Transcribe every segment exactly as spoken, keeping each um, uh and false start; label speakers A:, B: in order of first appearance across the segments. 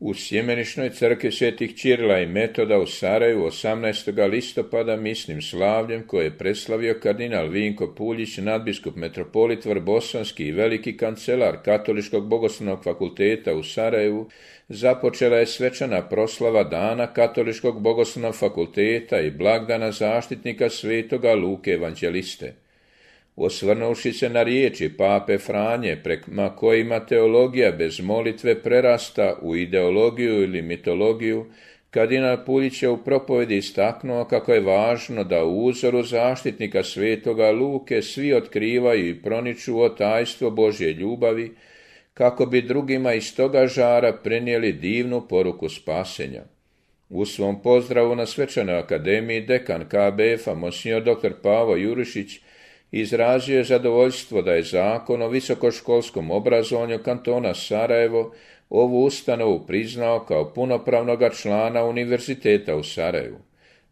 A: U Sjemeničnoj crkvi svetih Ćirila i Metoda u Sarajevu osamnaestog listopada misnim slavljem koje je preslavio kardinal Vinko Puljić, nadbiskup metropolit Vrbosanski i veliki kancelar Katoličkog bogoslovnog fakulteta u Sarajevu, započela je svečana proslava dana Katoličkog bogoslovnog fakulteta i blagdana zaštitnika svetoga Luke evanđeliste. Osvrnuvši se na riječi pape Franje, prema kojima teologija bez molitve prerasta u ideologiju ili mitologiju, kardinal Puljić je u propovedi istaknuo kako je važno da u uzoru zaštitnika svetoga Luke svi otkrivaju i proniču o tajstvo Božje ljubavi, kako bi drugima iz toga žara prenijeli divnu poruku spasenja. U svom pozdravu na svečanoj akademiji dekan K B F-a monsignor doktor Pavo Jurišić izrazio je zadovoljstvo da je zakon o visokoškolskom obrazovanju kantona Sarajevo ovu ustanovu priznao kao punopravnoga člana Univerziteta u Sarajevu.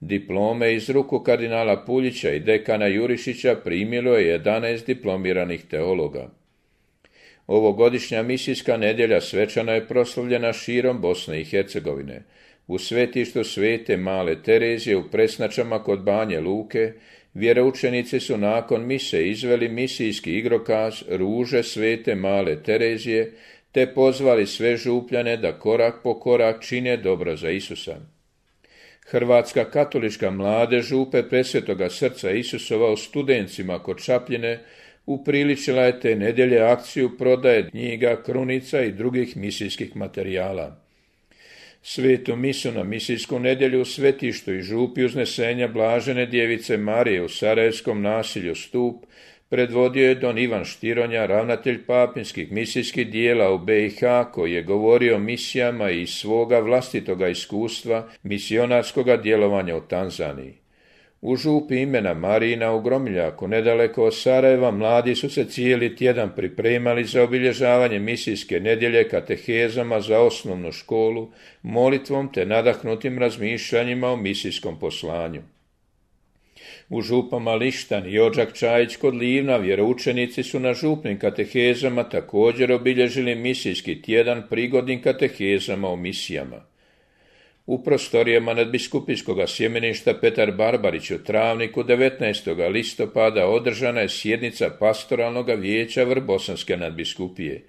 A: Diplome iz ruku kardinala Puljića i dekana Jurišića primilo je jedanaest diplomiranih teologa. Ovogodišnja misijska nedjelja svečano je proslavljena širom Bosne i Hercegovine. U svetištu Svete Male Terezije u Presnačama kod Banje Luke vjeroučenici su nakon mise izveli misijski igrokaz Ruže Svete Male Terezije te pozvali sve župljane da korak po korak čine dobro za Isusa. Hrvatska katolička mladež župe Presvetoga srca Isusova u Studencima kod Čapljine upriličila je te nedjelje akciju prodaje knjiga, krunica i drugih misijskih materijala. Svetu misu na misijsku nedjelju u svetištu i župi uznesenja Blažene djevice Marije u Sarajevskom nasilju Stup predvodio je don Ivan Štironja, ravnatelj papinskih misijskih dijela u B i H, koji je govorio o misijama i iz svoga vlastitoga iskustva misionarskoga djelovanja u Tanzaniji. U župi imena Marijina u Gromiljaku, nedaleko od Sarajeva, mladi su se cijeli tjedan pripremali za obilježavanje misijske nedjelje katehezama za osnovnu školu, molitvom te nadahnutim razmišljanjima o misijskom poslanju. U župama Lištan i Odžak Čajić kod Livna vjeroučenici su na župnim katehezama također obilježili misijski tjedan prigodnim katehezama o misijama. U prostorijama nadbiskupijskog sjemeništa Petar Barbarić u Travniku devetnaestog listopada održana je sjednica pastoralnog vijeća Vrbosanske nadbiskupije.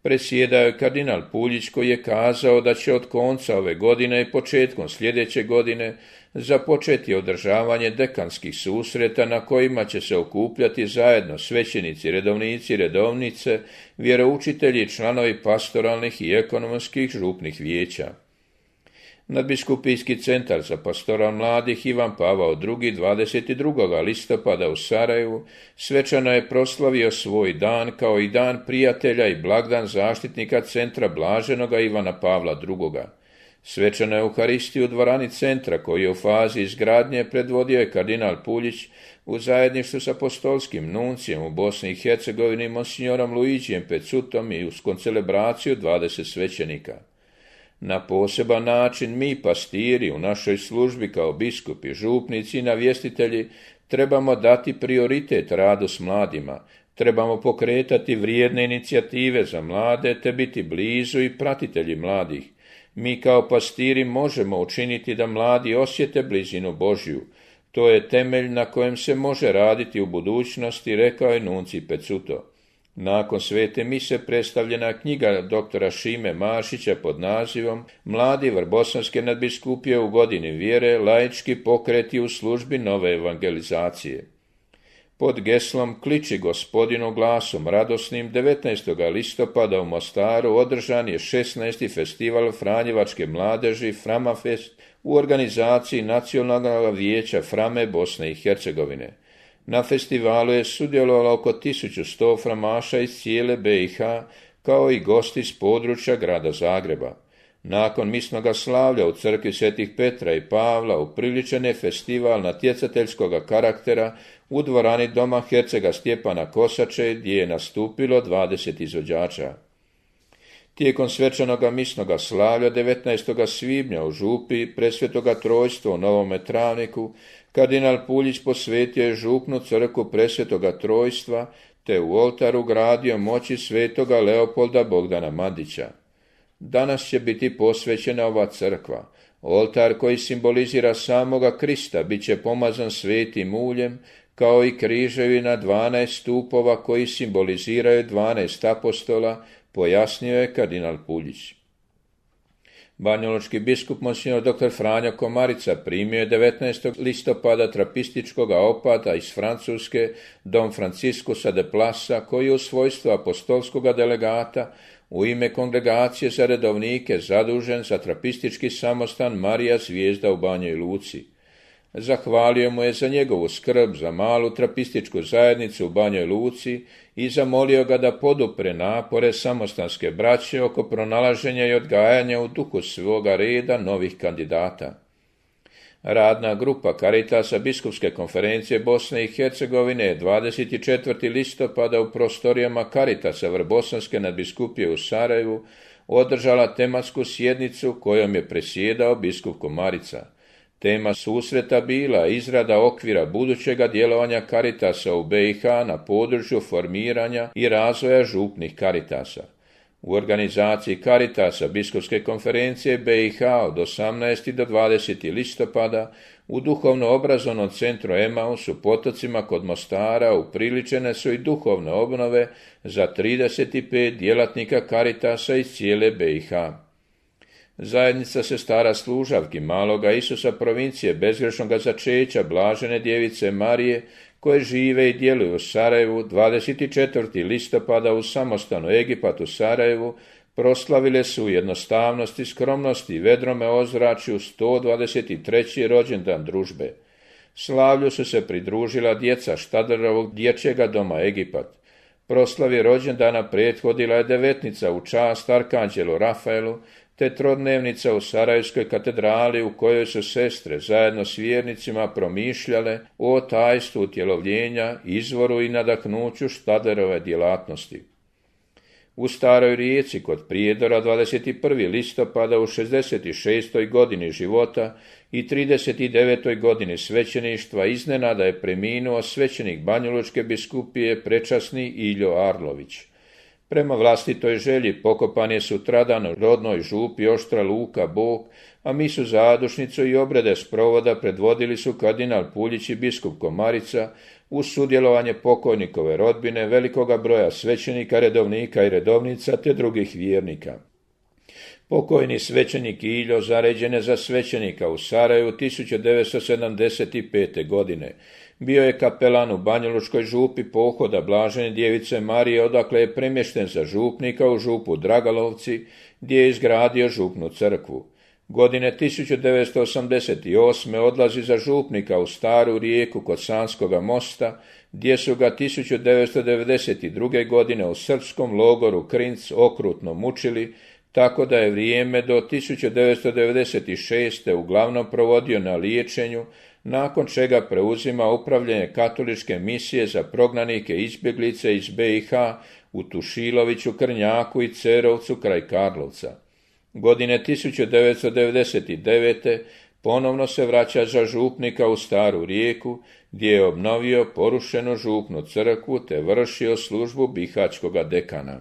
A: Predsjedao je kardinal Puljić koji je kazao da će od konca ove godine i početkom sljedeće godine započeti održavanje dekanskih susreta na kojima će se okupljati zajedno svećenici, redovnici i redovnice, vjeroučitelji i članovi pastoralnih i ekonomskih župnih vijeća. Nadbiskupijski centar za pastoral mladih Ivan Pavao drugi dvadeset drugog listopada u Sarajevu svečano je proslavio svoj dan kao i dan prijatelja i blagdan zaštitnika centra Blaženoga Ivana Pavla drugoga. Svečanu Euharistiju u dvorani centra koji je u fazi izgradnje predvodio je kardinal Puljić u zajedništvu s apostolskim nuncijem u Bosni i Hercegovini monsignorom Luigijem Pecutom i uz koncelebraciju dvadeset svećenika. Na poseban način mi, pastiri, u našoj službi kao biskupi, župnici i navjestitelji, trebamo dati prioritet radu s mladima, trebamo pokretati vrijedne inicijative za mlade te biti blizu i pratitelji mladih. Mi kao pastiri možemo učiniti da mladi osjete blizinu Božju. To je temelj na kojem se može raditi u budućnosti, rekao je nuncij Pecuto. Nakon svete mise predstavljena knjiga doktora Šime Mašića pod nazivom Mladi Vrbosanske nadbiskupije u godini vjere, laički pokreti u službi nove evangelizacije. Pod geslom Kliči gospodinu glasom radosnim devetnaestog listopada u Mostaru održan je šesnaesti festival Franjevačke mladeži Framafest u organizaciji Nacionalnog vijeća Frame Bosne i Hercegovine. Na festivalu je sudjelovalo oko tisuću sto framaša iz cijele B i H, kao i gosti s područja grada Zagreba. Nakon misnoga slavlja u crkvi Svetih Petra i Pavla upriličen je festival natjecateljskog karaktera u dvorani doma hercega Stjepana Kosače, gdje je nastupilo dvadeset izvođača. Tijekom svečanoga misnoga slavlja devetnaestog svibnja u župi Presvetoga Trojstva u Novome Travniku kardinal Puljić posvetio je župnu crkvu Presvetoga Trojstva te u oltaru gradio moći svetoga Leopolda Bogdana Mandića. danas će biti posvećena ova crkva. Oltar koji simbolizira samoga Krista bit će pomazan svetim uljem, kao i križevi na dvanaest stupova koji simboliziraju dvanaest apostola, pojasnio je kardinal Puljić. Banjalučki biskup monsignor dr. Franjo Komarica primio je devetnaestog listopada trapističkog opata iz Francuske Dom Franciscusa de Plasa, koji je u svojstvu apostolskog delegata u ime Kongregacije za redovnike zadužen za trapistički samostan Marija Zvijezda u Banjoj Luci. Zahvalio mu je za njegovu skrb za malu trapističku zajednicu u Banjoj Luci i zamolio ga da podupre napore samostanske braće oko pronalaženja i odgajanja u duhu svoga reda novih kandidata. Radna grupa Caritasa Biskupske konferencije Bosne i Hercegovine dvadeset četvrtog listopada u prostorijama Caritasa Vrbosanske nadbiskupije u Sarajevu održala tematsku sjednicu kojom je presjedao biskup Komarica. Tema susreta bila izrada okvira budućega djelovanja Caritasa u B i H na području formiranja i razvoja župnih Caritasa. U organizaciji Caritasa Biskupske konferencije B i H od osamnaestog do dvadesetog listopada u duhovno-obrazovnom centru Emaus u Potocima kod Mostara upriličene su i duhovne obnove za trideset pet djelatnika Caritasa iz cijele B i H. Zajednica sestara služavki Maloga Isusa provincije bezgrešnoga začeća Blažene djevice Marije, koje žive i djeluju u Sarajevu, dvadeset četvrtog listopada u samostanu Egipat u Sarajevu, proslavile su u jednostavnosti, skromnosti i vedrome ozračju sto dvadeset treći rođendan družbe. Slavlju su se pridružila djeca Štadlerovog dječjega doma Egipat. Proslavi rođendana prethodila je devetnica u čast Arkanđelu Rafaelu, te trodnevnica u Sarajevskoj katedrali u kojoj su sestre zajedno s vjernicima promišljale o tajstvu utjelovljenja, izvoru i nadahnuću Štadlerove djelatnosti. U Staroj Rijeci kod Prijedora dvadeset prvog listopada u šezdeset šestoj godini života i trideset devetoj godini svećeništva iznenada je preminuo svećenik Banjalučke biskupije prečasni Iljo Arlović. Prema vlastitoj želji pokopan je sutradan u rodnoj župi Oštra Luka Bog, a misu zadušnicu i obrede sprovoda predvodili su kardinal Puljić i biskup Komarica uz sudjelovanje pokojnikove rodbine, velikoga broja svećenika, redovnika i redovnica te drugih vjernika. Pokojni svećenik Iljo zaređen je za svećenika u Sarajevu tisuću devetsto sedamdeset pete. godine. Bio je kapelan u Banjalučkoj župi pohoda Blažene djevice Marije, odakle je premješten za župnika u župu Dragalovci, gdje je izgradio župnu crkvu. Godine tisuću devetsto osamdeset osme. odlazi za župnika u Staru Rijeku kod Sanskoga mosta, gdje su ga tisuću devetsto devedeset druge. godine u srpskom logoru Krinc okrutno mučili, tako da je vrijeme do tisuću devetsto devedeset šeste. uglavnom provodio na liječenju, nakon čega preuzima upravljanje katoličke misije za prognanike izbjeglice iz B i H u Tušiloviću, Krnjaku i Cerovcu kraj Karlovca. Godine tisuću devetsto devedeset devete. ponovno se vraća za župnika u Staru Rijeku, gdje je obnovio porušenu župnu crkvu te vršio službu bihaćkoga dekana.